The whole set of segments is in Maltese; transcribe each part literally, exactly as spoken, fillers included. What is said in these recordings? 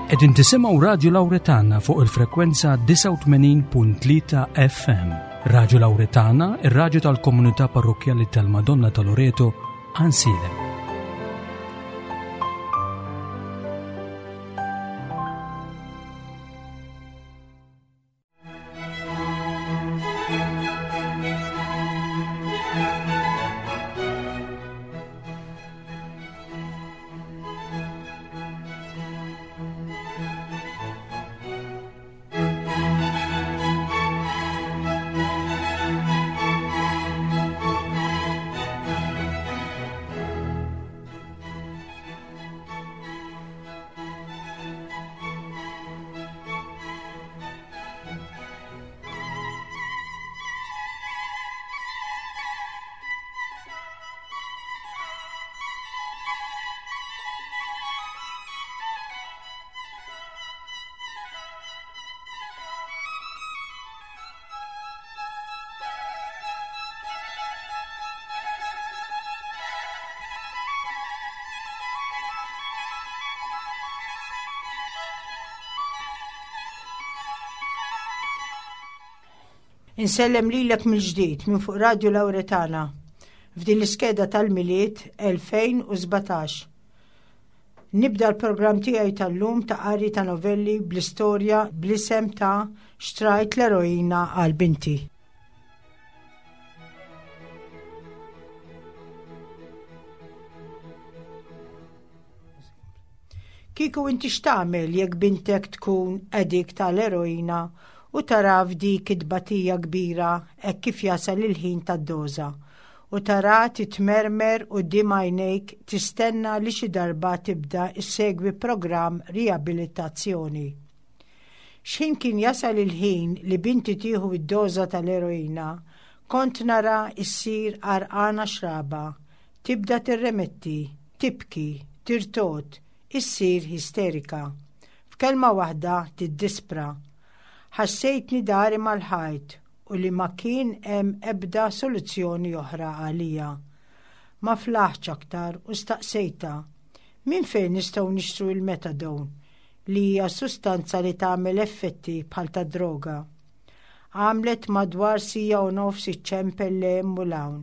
Qegħdin tisimgħu Radio Lauretana fuq il-frekwenza disgħa u tmenin punt tlieta F M. Radio Lauretana, ir-radju tal-komunità parrokkjali tal-Madonna ta' Loreto, Għajnsielem. Insellem lilek mill-ġdid minn fuq Radio Lauretana f'din l-iskeda tal-Milied elfejn u sbatax. Nibda l-programm tiegħi tal-lum ta' qari ta' novelli bl-istorja bl-isem ta' "Xtrajt l-Eroina għal Binti". Kieku inti x'tagħmel jekk bintek tkun addict tal-eroina u tara f'dik it-tbatija kbira hekk kif jasal il-ħin tad-doża u tara titmermer quddiem għajnejk tistenna li xi darba tibda issegwi programm riabilitazzjoni? X'ħin kien jasal il-ħin li binti tieħu id-doża tal-eroina, kont nara issir għarqana xraba, tibda tirremetti, tibki, tirtogħod, issir isterika. F'kelma waħda, tiddispra. Ħassejtni dahri mal-ħajt u li ma kien hemm ebda soluzzjoni oħra għalija. Ma flaħtx aktar u staqsejta: "Min fejn nistgħu nixtru il-methadone, li hija sustanza li tagħmel effetti bħal ta' droga?" Għamlet madwar siegħa u nofs iċċempel 'l u 'l hawn.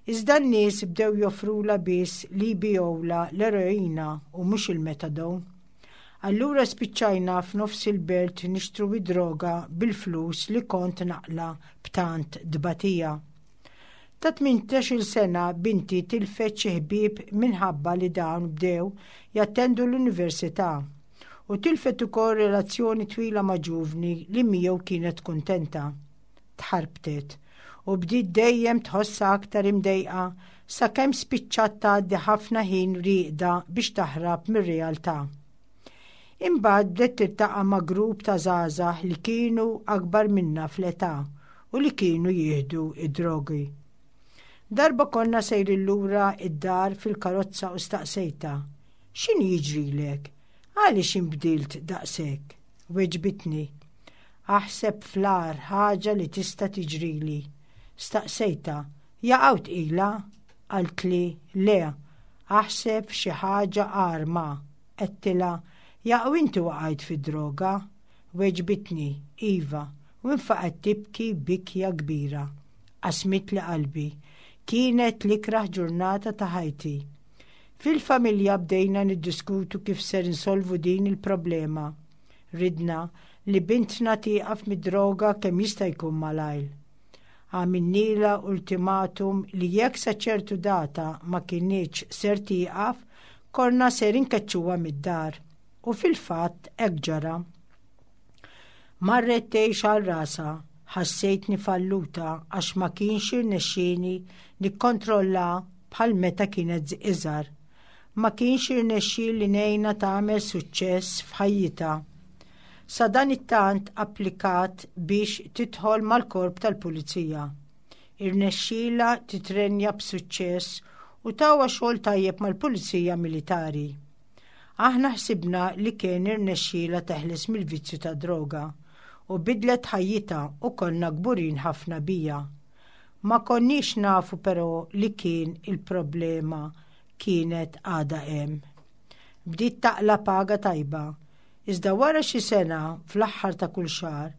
Iżda n-nies bdew joffrula biss li jbigħula l-eroina u mhux il-methadone. Allura spiċċajna f'nofs il-belt nixtru id-droga bil-flus li kont naqla' b'tant tbatija. Ta' tmintax-il sena binti tilfet xi ħbieb minħabba li dawn bdew jattendu l-università u tilfet ukoll relazzjoni twila ma' ġuvni li miegħu kienet kuntenta. Tħarbtet u bdiet dejjem tħossha aktar imdejqa sakemm spiċċat tgħaddi ħafna ħin rieqda biex taħrab mir-realtà. Imbagħad bdiet tiltaqa' ma' grupp ta' żgħażagħ li kienu akbar minna fl-età u li kienu jieħdu id-drogi. Darba konna sejrin lura id-dar fil-karozza u staqsejta: "X'inhu jiġrilek? Għaliex inbdilt daqshekk?" Weġbitni: "Aħseb fl-agħar ħaġa li tista' tiġrili." Staqsejta: "Jaqaw tqila?" Qaltli: "Le, aħseb f'xi ħaġa agħar ma." Għedtilha: "Jaqaw inti waqajt fid-droga?" Weġbitni: "Iva," u infaqgħet tibki bikja kbira. Qasmitli qalbi. Kienet l-ikraħ ġurnata ta' ħajti. Fil-familja bdejna niddiskutu kif ser insolvu din il-problema. Ridna li bintna tieqaf mid-droga kemm jista' jkun malajr. Għamilnielha ultimatum li jekk sa ċertu data ma kinitx ser tieqaf, konna ser inkeċċuha mid-dar. U fil-fatt hekk ġara. Marret tgħix għal rasha, ħassejtni falluta għax ma kienx irnexxieni nikkontrolla bħal meta kienet iżgħar. Ma kienx irnexxieli ngħinha tagħmel suċċess f'ħajjitha. Sadanittant applikat biex tidħol mal-korp tal-pulizija. Irnexxielha titrenja b'suċċess u tawha xogħol tajjeb mal-pulizija militari. Aħna ħsibna li kien irnexxielha teħles mill-vizzju ta' droga u bidlet ħajjitha u konna kburin ħafna biha. Ma konniex nafu però li kien il-problema kienet għada hemm. Bdiet taqla' paga tajba. Iżda wara xi sena, fl-aħħar ta' kull xahar,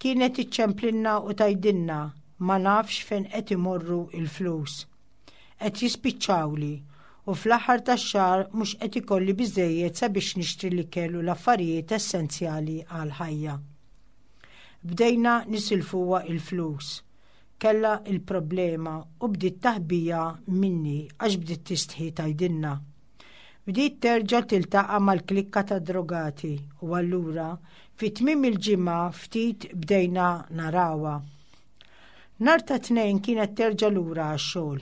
kienet iċċemplinna u tgħidilna ma nafx fejn qed imorru il-flus. Qed jispiċċawli u fl-aħħar tax-xahar mhux qed ikolli biżejjed sabiex nixtri l-ikel u l-affarijiet essenzjali għal ħajja. Bdejna nisilfuha il-flus. Kella il-problema u bdiet taħbija minni għax bdiet tistħi tgħidilna. Bdiet terġa' tiltaqa' mal-klikka ta' drogati u allura fi tmiem il-ġimgħa ftit bdejna narawha. Nhar ta' Tnejn kienet terġa' lura għax-xogħol.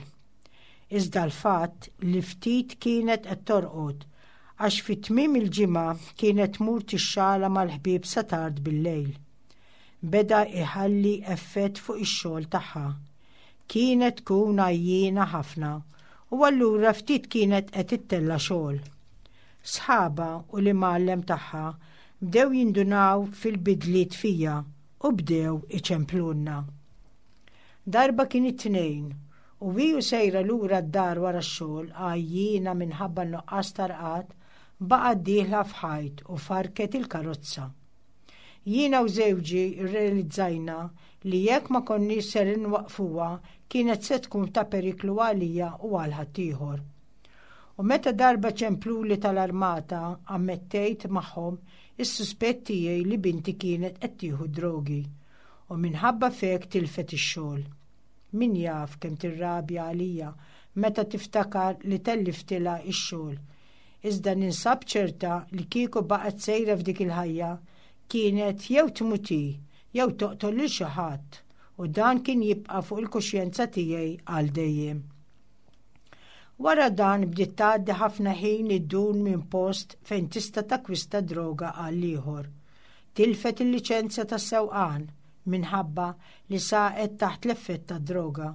Iżda l-fatt li ftit kienet qed torqod għax fi tmiem il-ġimgħa kienet tmur tixxala mal-ħbieb sa tard bil-lejl. Beda iħalli effett fuq ix-xogħol tagħha. Kienet tkun għajjiena ħafna u allura ftit kienet qed ittella' xogħol. Sħaba u l-imgħallem tagħha bdew jindunaw fil-bidliet fija u bdew iċemplunna. Darba kien it-Tnejn u hi u sejra lura d-dar wara x-xogħol, għajjiena minħabba nuqqas ta' rqad, baqgħet dieħla f'ħajt u farket il-karozza. Jiena u żewġi rrealizzajna li jekk ma konniex ser inwaqfuha kienet se tkun ta' periklu għalija u għal ħaddieħor. U meta darba ċempluli tal-armata, ammettejt magħhom is-suspett tiegħi li binti kienet qed tieħu drogi u minħabba fek tilfet ix-xogħol. Min jaf kemm tirrabja għalija meta tiftakar li telliftilha ix-xogħol. Iżda ninsab ċerta li kieku baqgħet sejra f'dik il-ħajja kienet jew tmut hi jew toqtol lil xi ħadd u dan kien jibqa' fuq il-kuxjenza tiegħi għal dejjem. Wara dan bdiet tgħaddi ħafna ħin iddur minn post fejn tista' takwista droga għal ieħor. Tilfet il-liċenzja tas-sewqan minħabba li saqet taħt l-effett tad-droga.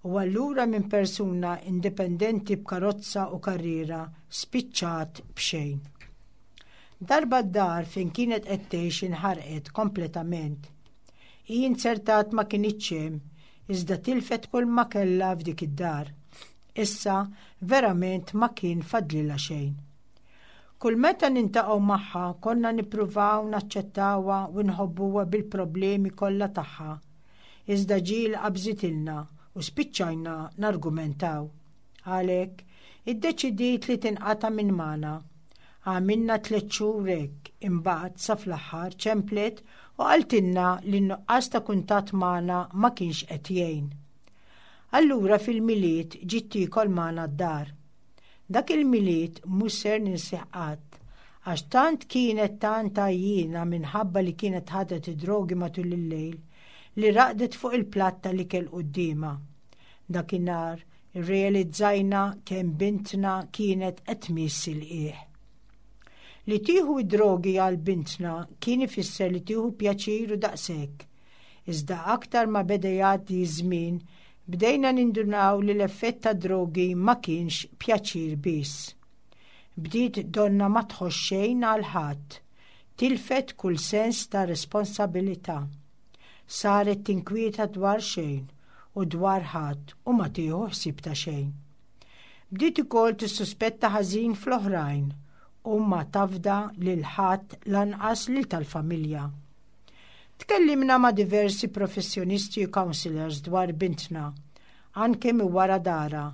U allura minn persuna indipendenti b'karozza u karriera spiċċat b'xejn. Darba d-dar fejn kienet qed tgħix inħarqet kompletament. Hi inzertat ma kinitx hemm, iżda tilfet kull ma kellha f'dik id-dar. Issa verament ma kien fadlilha xejn. Kull meta niltaqgħu magħha konna nippruvaw naċċettawha u nħobbuha bil-problemi kollha tagħha. Iżda ġieli qabżitilna u spiċċajna nargumentaw. Għalhekk, iddeċidiet li tinqata' minn magħna. Għamilna tliet xhur hekk, imbagħad sa fl-aħħar ċemplet u qaltilna li n-nuqqas ta' kuntatt magħna ma kienx qed jgħin. Allura fil-Milied ġiet tiekol magħna d-dar. Dak il-Milied mhux ser ninsih qatt, għax tant kienet tant għajjiena minħabba li kienet ħadet id-drogi matul il-lejl li raqdet fuq il-platt tal-ikel quddiemha. Dakinhar irrealizzajna kemm bintna kienet qed tmiss il-qiegħ. Li tieħu id-drogi għal bintna kien ifisser li tieħu pjaċir u daqshekk. Iżda aktar ma beda jgħaddi żmien, bdejna nindunaw li l-effett ta' drogi ma kienx pjaċir biss. Bdiet donna ma tħoss xejn għal ħadd, tilfet kull sens ta' responsabilità. Saret tinkwieta dwar xejn u dwar ħadd u ma tieħu ħsieb ta' xejn. Bdiet ukoll tissuspetta ħażin fl-oħrajn u ma tafda lil ħadd, lanqas lil tal-familja. Tkellimna ma' diversi professjonisti u counselors dwar bintna, anke minn wara dara,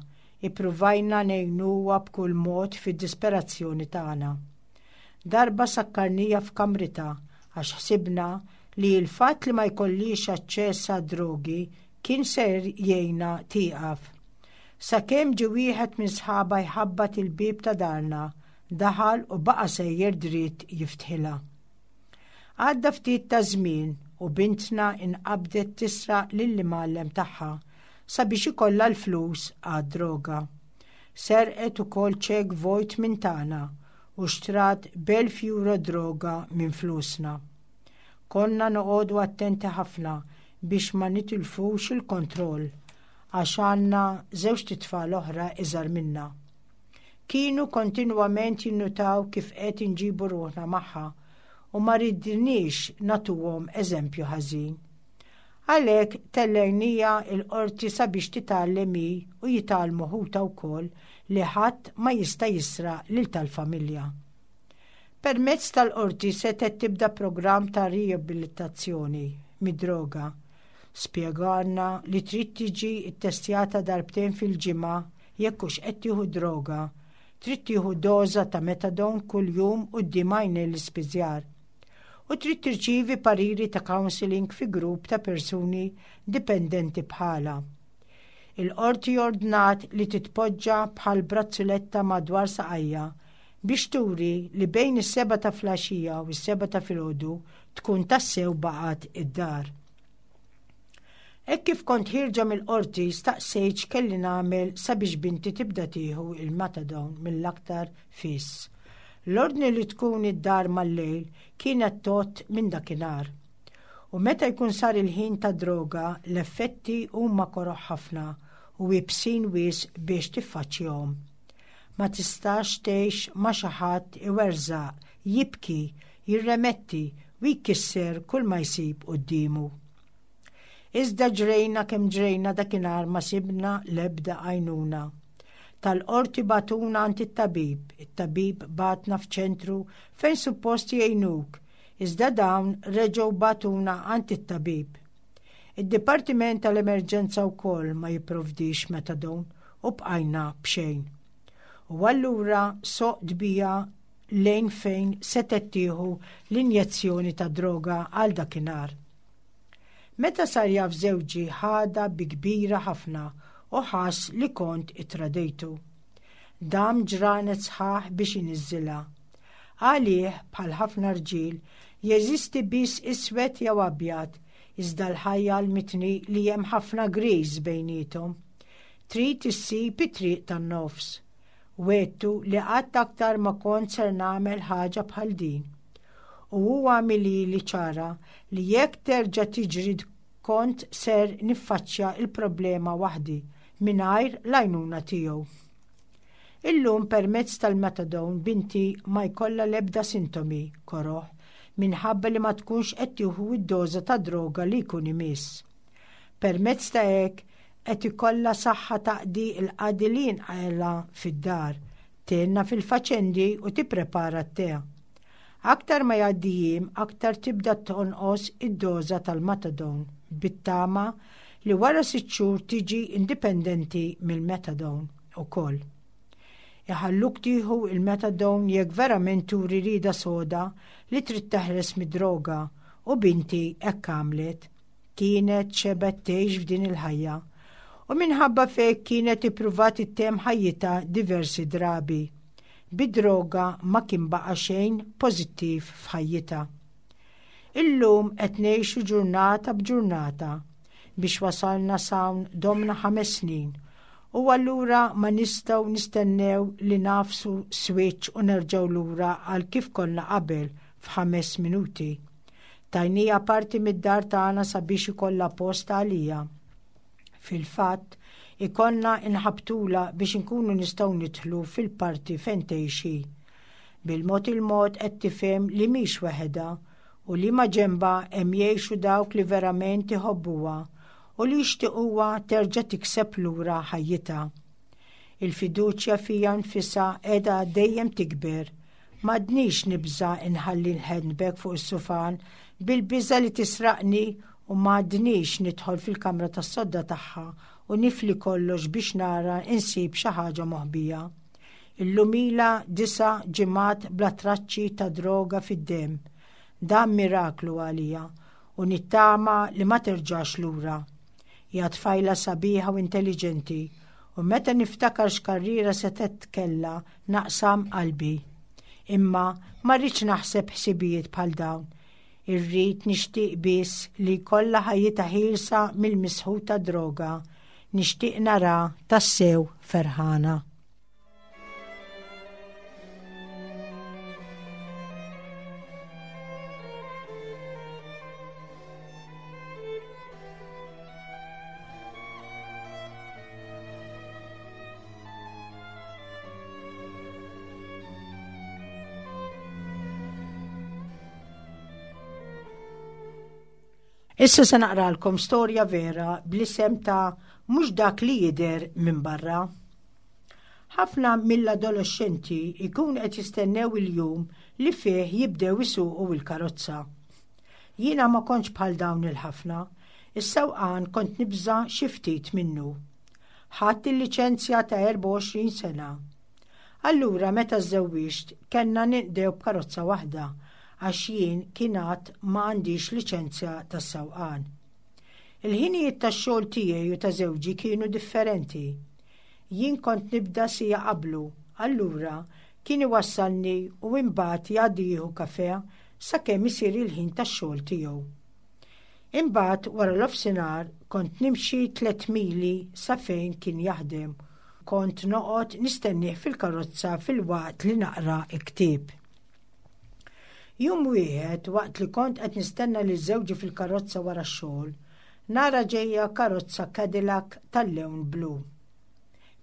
ippruvajna ngħinuha b'kull mod fid-disperazzjoni tagħna. Darba sakkarnieha f'kamritha għax ħsibna li l-fatt li ma jkollix aċċess għad-drogi kien ser jgħinha tieqaf. Sakemm ġie wieħed minn sħaba jħabbat il-bieb ta' darna, daħal u baqa' sejjer dritt jiftħilha. Għadda ftit ta' żmien u bintna inqabdet tisraq lill-imgħallem tagħha sabiex ikollha l-flus għad-droga. Serqet ukoll ċek vojt minn tagħna u xtrat b'elf euro droga minn flusna. Konna noqogħdu attenti ħafna biex ma nitilfux il-kontroll għax għandna żewġt itfal oħra iżgħar minna. Kienu kontinwament jinnutaw kif qed inġibu ruħna magħha u ma ridniex nagħtuhom eżempju ħażin. Għalhekk tellejnieha il-qorti sabiex titgħallem hi u jitgħallmu ħutha wkoll li ħadd ma jista' jisraq lil tal-familja. Permezz tal-qorti setgħet tibda programm ta' riabilitazzjoni mid-droga. Spjegalna li trid tiġi ttestjata darbtejn fil-ġimgħa jekk hux qed tieħu droga. Trid tieħu doża ta' methadone kuljum quddiem għajnejn l-ispiżjar. U trid tirċievi pariri ta' counseling fi grupp ta' persuni dipendenti bħalha. Il-qorti ordnat li titpoġġa bħal brazzuletta madwar saqajha biex turi li bejn is-sebgħa ta' filgħaxija u s-sebgħa ta' filgħodu tkun tassew baqgħet id-dar. Hekk kif kont ħierġa mill-qorti staqsejt x'kelli nagħmel sabiex binti tibda tieħu il-methadone mill-aktar fis. L-ordni li tkun id-dar mal-lejl kienet tgħodd minn dakinhar. U meta jkun sar il-ħin ta' droga, l-effetti huma koroh ħafna u iebsin wisq biex tiffaċċjahom. Ma tistax tgħix ma' xi ħadd iwerżaq, jibki, jirremetti u jkisser kull ma jsib quddiemu. Iżda ġrejna kemm ġrejna dakinhar ma sibna l-ebda għajnuna. Tal-qorti bagħtuna għand it-tabib, it-tabib bagħatna f'ċentru fejn suppost jgħinuk, iżda dawn reġgħu bagħtuna għand it-tabib. Id-Dipartiment tal-Emerġenza wkoll ma jipprovdix methadone u bqajna b'xejn. U allura soqt bija lejn fejn setgħet tieħu l-injezzjoni ta' droga għal dakinhar. Meta sar jaf żewġi ħadha bi kbira ħafna u ħass li kont ittradejtu. Dam ġranet sħaħ biex iniżżilha. Għalih bħal ħafna rġiel jeżisti biss iswed jew abjad, iżda l-ħajja għallmitni li hemm ħafna griż bejniethom. Trid issib it-triq tan-nofs. Wegħedtu li qatt aktar ma kont ser nagħmel ħaġa bħal din. U huwa għamilhieli ċara li jekk terġa' tiġri kont ser niffaċċja il-problema waħdi mingħajr l-għajnuna tiegħu. Illum permezz tal-methadone binti ma jkollha l-ebda sintomi koroh minħabba li ma tkunx qed tieħu id-doża ta' droga li jkun imiss. Permezz ta' hekk qed ikollha saħħa taqdi l-qadi li jinqala fid-dar, tgħinna fil-faċendi u tipprepara t-te. Aktar ma jgħaddi jiem, aktar tibda tonqos id-doża tal-methadone bit-tama li wara sitt xhur tiġi indipendenti mill-methadone ukoll. Iħalluk tieħu il-methadone jekk verament turi rieda soda li trid teħles mid-droga u binti hekk għamlet. Kienet xebgħet tgħix f'din il-ħajja u minħabba f'hekk kienet ippruvat ittemm ħajjitha diversi drabi. Bid-droga ma kien baqa' xejn pożittiv f'ħajjitha. Illum qed ngħixu ġurnata b'ġurnata biex wasalna s'hawn domna ħames snin u allura ma nistgħu nistennew li nagħfsu switch u nerġgħu lura għal kif konna qabel f'ħames minuti. Tajnieha parti mid-dar tagħna sabiex ikollha post għaliha. Fil-fatt, ikollna nħabbtulha biex inkunu nistgħu nidħlu fil-parti fejn tgħixi. Bil-mod il-mod qed tifhem li mhix waħedha u li ma ġenbha hemm jgħixu dawk li verament iħobbuha u li jixtiequha terġa' tikseb lura ħajjitha. Il-fiduċja fija nfisha qiegħda dejjem tikber. M'għadnix nibża inħalli l-handbag fuq is-sufan bil-biża li tisraqni u m'għadnix nidħol fil-kamra tas-sodda tagħha u nifli kollox biex nara insib xi ħaġa moħbija. Illum ilha disa' ġimgħat bla traċċi ta' droga fid-demm. Dan miraklu għalija u nittama li ma terġax lura. Hija tfajla sabiħa u intelligenti u meta niftakar x'karriera setgħet kellha naqsam qalbi. Imma ma rridx naħseb ħsibijiet bħal dawn. Irrid nixtieq biss li jkollha ħajjitha ħielsa mill-misħut ta' droga. Nixtieq nara tassew ferħana. Issa se naqralkom storja vera bl-isem ta' mhux dak li jidher minn barra. Ħafna mill-adolescenti ikun qed jistennew il-jum li fih jibdew isuqu il-karozza. Jiena ma kontx bħal dawn il-ħafna, is-sewqan kont nibża xi ftit minnu. Ħadt il-liċenzja ta' erbgħa u għoxrin sena. Allura meta żżewwiġt kellna ninqdew b'karozza waħda għax jien kien għad ma għandix liċenzja tas-sewqan. Il-ħinijiet tax-xogħol tiegħi u ta' żewġi kienu differenti. Jien kont nibda siegħa qablu, allura kien iwassalni u imbagħad jgħaddi jieħu kafe sakemm isir il-ħin tax-xogħol tiegħu. Imbagħad wara l-ofsinhar kont nimxi tliet mili sa fejn kien jaħdem. Kont noqgħod nistennih fil-karozza filwaqt li naqra ktieb. Jum wieħed, waqt li kont qed nistenna lil żewġi fil-karozza wara x-xogħol, nara ġejja karozza Cadillac tal-lewn blu.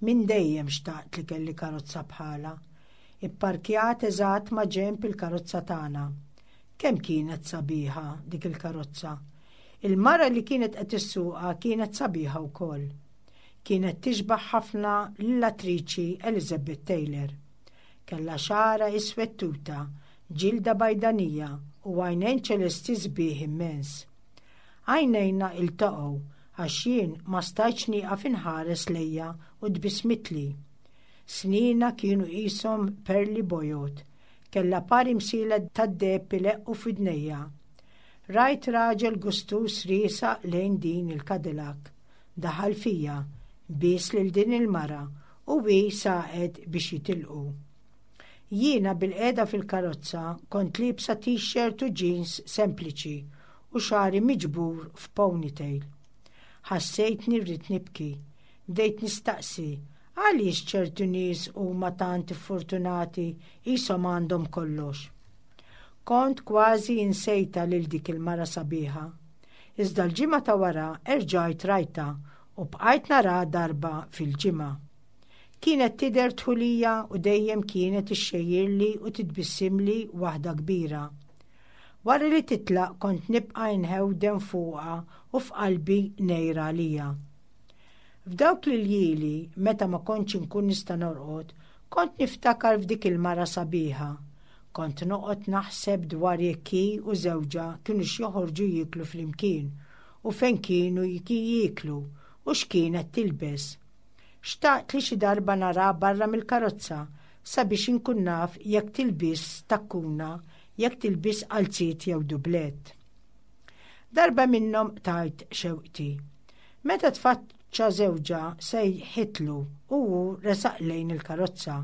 Min dejjem xtaqt li kelli karozza bħala. Ipparkjat eżatt ma' ġenb il-karozza tagħna. Kemm kienet sabiħa dik il-karozza. Il-mara li kienet qed issuqha kienet sabiħa wkoll. Kienet tixbaħ ħafna lill-attriċi Elizabeth Taylor. Kellha xagħarha iswed tuta, ġilda bajdanija u għajnejn ċelesti sbieħ immens. Għajnejna iltaqgħu għax jien ma stajtx nieqaf inħares lejha u tbissmitli. Snienha kienu qishom perli bojod, kellha par imsielet tad-deheb ileqqu f'widnejha. Rajt raġel gustus riesaq lejn din il-Cadillac. Daħal fija, bies lil din il-mara u hi saqet biex jitilqu. Jiena bilqiegħda fil-karozza kont liebsa t-shirt u jeans sempliċi u xagħri miġbur f'ponytail. Ħassejtni rrid nibki. Bdejt nistaqsi għaliex ċertu nies huma tant fortunati, qishom għandhom kollox. Kont kważi insejtha lil dik il-mara sabiħa. Iżda l-ġimgħa ta' wara erġajt rajtha u bqajt nara darba fil-ġimgħa. Kienet tidher dħulija u dejjem kienet ixxejjirli u titbissimli waħda kbira. Wara li titlaq kont nibqa' nħewden fuqha u f'qalbi ngħir għaliha. F'dawk l-iljieli, meta ma kontx inkun nista' norqod, kont niftakar f'dik il-mara sabiħa. Kont noqgħod naħseb dwar jekk hi u żewġha kienu joħorġu jieklu flimkien u fejn kienu jieklu u x'kienet tilbes. Xtaqt li xi darba nara barra mill-karozza sabiex inkun naf jekk tilbisx takkuna, jekk tilbisx qalziet jew dublet. Darba minnhom qtajt xewqti. Meta tfaċċa żewġha, sejħitlu u hu resaq lejn il-karozza.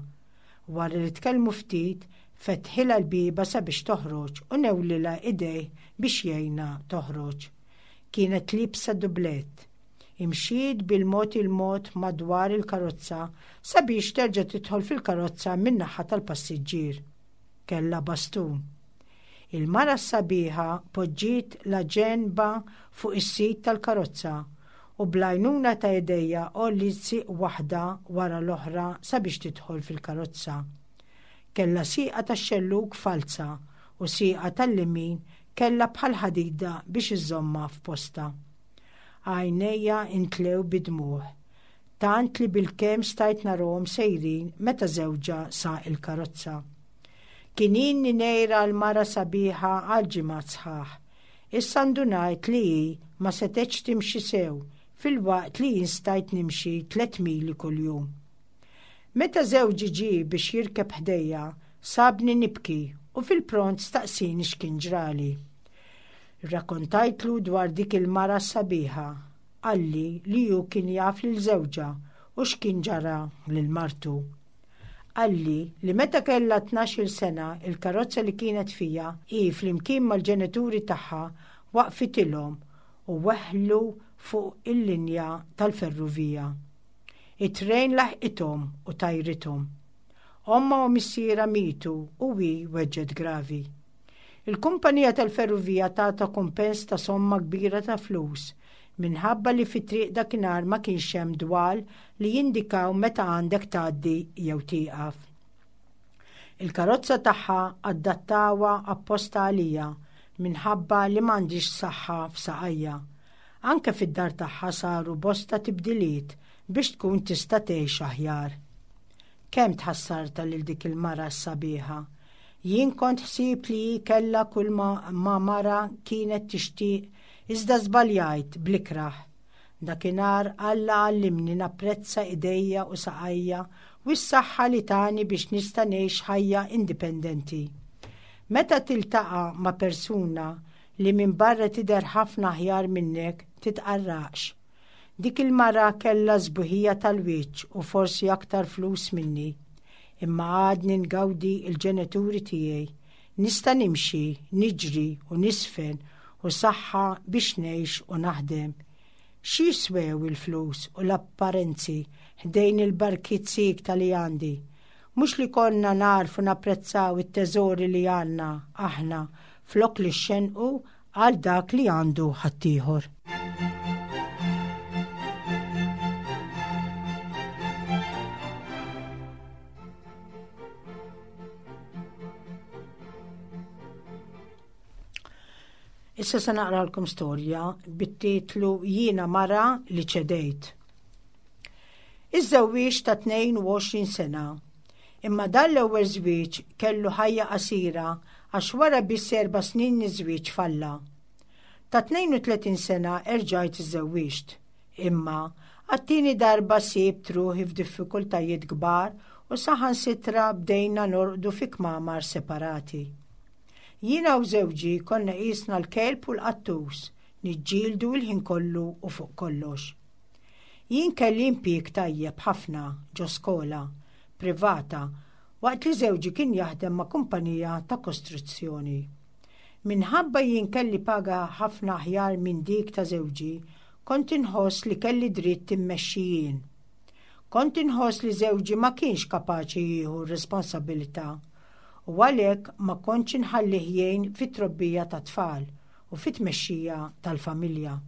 Wara li tkellmu ftit, fetħilha l-bieba sabiex toħroġ u newlilha idejh biex jgħinha toħroġ. Kienet liebsa dublet. Imxiet bil-mod il-mod madwar il-karozza sabiex terġa' tidħol fil-karozza min-naħa tal-passiġġier. Kella bastun. Il-mara sabiħa poġġiet la ġenba fuq is-sit tal-karozza u bl-għajnuna ta' idejha għolliet sieq waħda wara l-oħra sabiex tidħol fil-karozza. Kella sieqa tax-xellug falza u sieqa tal-lemin kella bħal ħadida biex iżomma f'posta. Għajnejja imtlew bid-dmugħ, tant li bil-kemm stajt narahom sejrin meta żewġha saq il-karozza. Kien ilni ngħir għall-mara sabiħa għal ġimgħat sħaħ. Issa ndunajt li hi ma setgħetx timxi sew filwaqt li jien stajt nimxi tliet mili kuljum. Meta żewġi ġie biex jirkeb ħdejja, sabni nibki u fil-pront staqsini x'kien ġrali. Rakkontajtlu dwar dik il-mara sabiħa, qalli li hu kien jaf lil żewġha u x'kien ġara lil martu. Qalli li meta kellha tnax-il sena, il-karozza li kienet fija hi flimkien mal-ġenituri tagħha waqfitilhom u weħlu fuq il-linja tal-ferrovija. It-trejn laħqithom u tajrithom. Omma u missierha mietu u hi weġġgħet gravi. Il-kumpanija tal-ferrovija tata kumpens ta' somma kbira ta' flus minħabba li fit-triq dakinhar ma kienx hemm dwal li jindikaw meta għandek tgħaddi jew tieqaf. Il-karozza tagħha adattawha apposta għalija minħabba li m'għandix saħħa f'saqajja. Anke fid-dar tagħha saru bosta tibdiliet biex tkun tista' tgħix aħjar. Kemm tħassarta lil dik il-mara s-sabiħa. Jien kont ħsibt li hi kellha kull ma, ma mara kienet tixtieq, iżda żbaljajt bl-ikrah. Dakinhar Alla għallimni napprezza idejja u saqajja u s-saħħa li tani biex nista' ngħix ħajja indipendenti. Meta tiltaqa' ma' persuna li minn barra tidher ħafna aħjar minnek, titqarraqx. Dik il-mara kellha sbuħija tal-wiċċ u forsi aktar flus minni. Imma għadni ngawdi il-ġenituri tiegħi. Nista' nimxi, niġri u niżfen u saħħa biex ngħix u naħdem. Xi jiswew il-flus u l-apparenzi ħdejn il-barkiet siekta li għandi? Mhux li konna nagħrfu napprezzaw it-teżori li għandna aħna flok li xenqu għal dak li għandu ħaddieħor. Issa se naqralkom storja bit-titlu Jiena mara li ċedejt. Iż-żewwieġ ta' tnejn u għoxrin sena. Imma dan l-ewwel żwieġ kellu ħajja qasira għax wara biss erba' snin iż-żwieġ falla. Ta' tnejn u tletin sena erġajt iżżewwiġt. Imma għat-tieni darba sibt ruħi f'diffikultajiet kbar u saħansitra bdejna norqdu fi kmamar separati. Jiena u żewġi konna qisna l-kelb u l-qattus, niġġieldu l-ħin kollu u fuq kollox. Jien kelli impjieg tajjeb ħafna ġo skola privata waqt li żewġi kien jaħdem ma' kumpanija ta' kostruzzjoni. Minħabba jien kelli paga ħafna aħjar minn dik ta' żewġi, kont inħoss li kelli dritt immexxi jien. Kont inħoss li żewġi ma kienx kapaċi jieħu responsabilità u għalhekk ma kontx inħallih jgħin fit-trobbija ta' tfal u fit-tmexxija tal-familja.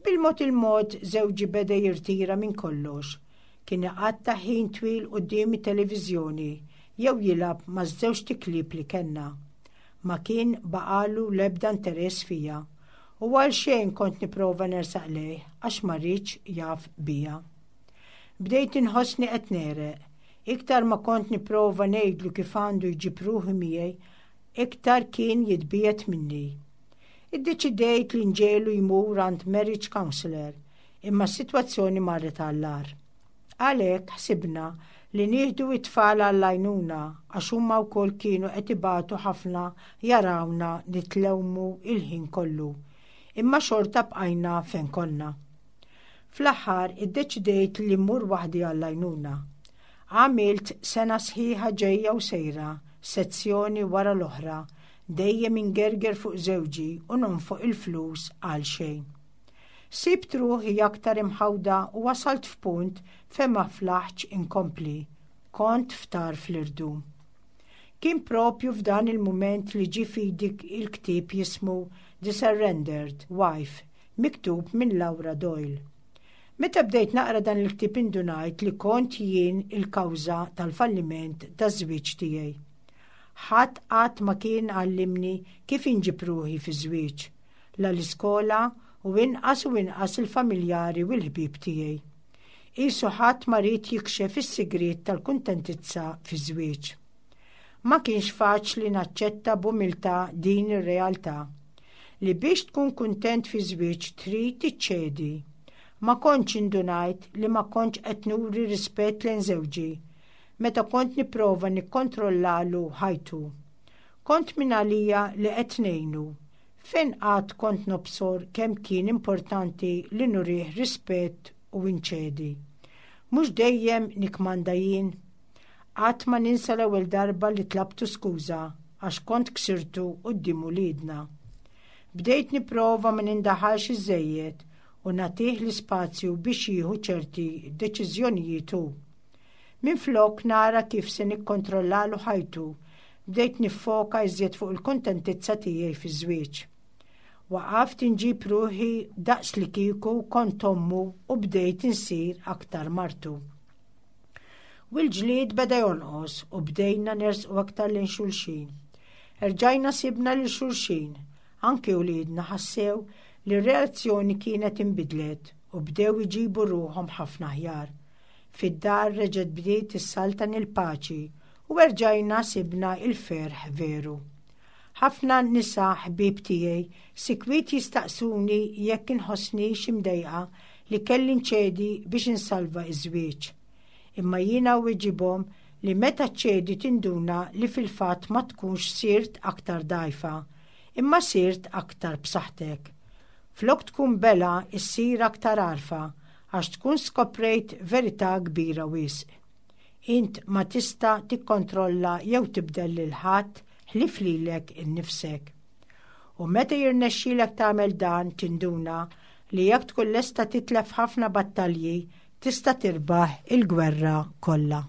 Bil-mod il-mod żewġi beda jirtira minn kollox. Kien iqatta' ħin twil quddiem it-televiżjoni jew jilgħab ma' żewġt iklieb li kellna. Ma kien baqalu l-ebda interess fija u għal xejn kont nipprova nersaq lejh għax ma riedx jaf bija. Bdejt inħossni qed negħreq. Iktar ma kont nipprova ngħidlu kif għandu jġib ruħu miegħi, iktar kien jitbiegħed minni. Iddeċidejt li nġegħlu jmur għand marriage counselor, imma s-sitwazzjoni marret għall-agħar. Għalhekk ħsibna li nieħdu it-tfal għall-għajnuna għax huma wkoll kienu qed ibatu ħafna jarawna nitlewmu il-ħin kollu. Imma xorta bqajna fejn konna. Fl-aħħar iddeċidejt li mmur waħdi għall-għajnuna. Għamilt sena sħiħa ġejja u sejra, sezzjoni wara l-oħra, dejjem ingerger fuq żewġi u nonfoq il-flus għal xejn. Sibt ruħi aktar imħawda u wasalt f'punt fejn ma flaħtx inkompli. Kont f'tarf l-irdum. Kien propju f'dan il-mument li ġie f'idi il-ktieb jismu The Surrendered Wife, miktub minn Laura Doyle. Meta bdejt naqra dan il-ktieb indunajt li kont jien il-kawża tal-falliment taż-żwieġ tiegħi. Ħadd qatt ma kien għallimni kif inġib ruħi fi żwieġ, la l-iskola u inqas u inqas il-familjari u l-ħbieb tiegħi. Qisu ħadd ma ried jikxef is-sigriet tal-kuntentizza fi żwieġ. Ma kienx faċli naċċetta b'umiltà din ir-realtà li biex tkun kuntent fi żwieġ trid tiċċedi. Ma kontx indunajt li ma kontx qed nuri rispett lejn żewġi meta kont nipprova nikkontrollalu ħajtu. Kont minn għalija li qed ngħinu. Fejn qatt kont nobsor kemm kien importanti li nurih rispett u inċedi. Mhux dejjem nikkmanda jien. Qatt ma ninsa l-ewwel darba li tlabtu skuża għax kont ksirtu quddiem uliedna. Bdejt nipprova ma nindaħalx iżejjed u nagħtih l-ispazju biex jieħu ċerti deċiżjonijiet hu. Minflok nara kif se nikkontrollalu ħajtu, bdejt niffoka iżjed fuq il-kuntentizza tiegħi fi żwieġ. Waqaft inġib ruħi daqs li kieku kont ommu u bdejt insir aktar martu. U l-ġlied beda jonqos u bdejna nersqu aktar lejn xulxin. Erġajna sibna lil xulxin, anki uliedna ħassew li r-relazzjoni kienet imbidlet u bdew iġibu ruħhom ħafna aħjar. Fid-dar reġgħet bdiet issaltan il-paċi u erġajna sibna il-ferħ veru. Ħafna nisa ħbieb tiegħi sikwit jistaqsuni jekk inħossnix imdejqa li kelli nċedi biex insalva iż-żwieġ. Imma jiena weġibthom li meta ċedi tinduna li fil-fatt ma tkunx sirt aktar dgħajfa, imma sirt aktar b'saħħtek. Flok tkun belha issir aktar għarfa għax tkun skoprejt verità kbira wisq. Int ma tista' tikkontrolla jew tibdel lil ħadd ħlief lilek innifsek. U meta jirnexxilek tagħmel dan tinduna li jekk tkun lesta titlef ħafna battalji tista' tirbaħ il-gwerra kollha.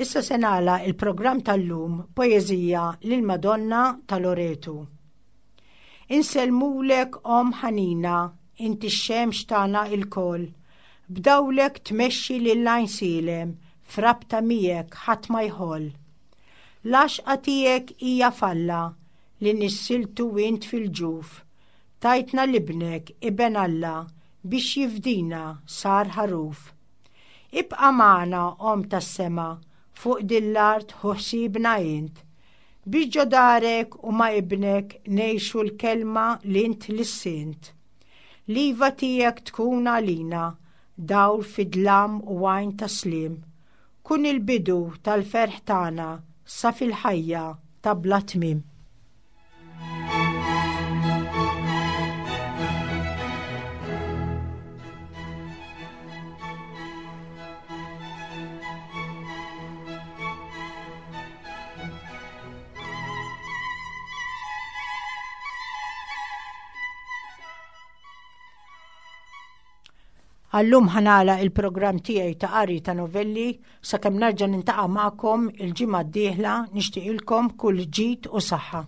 Issa se nagħlaq il-programm tal-lum poeżija lil Madonna ta' Loretu. Insellmulek Omm ħanina, inti x-xemx tagħna lkoll. B'dawlek tmexxi lil Għajnsielem, f'rabta miegħek ħadd ma jħoll. L-għaxqa tiegħek hija f'Alla li nissiltu int fil-ġuf. Tajtna 'l ibnek iben Alla biex jifdina sar ħaruf. Ibqa' magħna Omm tas-sema, fuq dil-art ħu ħsiebna int. Biex ġo darek u ma' ibnek ngħixu l-kelma li int lissint. L-iva tiegħek tkun għalina, dawl fid-dlam u għajn ta' sliem. Kun il-bidu tal-ferħ tagħna sa fil-ħajja ta' bla tmiem. Għallum ħa nagħlaq il-programm tiegħi ta' qari ta' novelli sakemm nerġa' niltaqa' magħkom il-ġimgħa d-dieħla nixtieqilkom kull ġid u saħħa.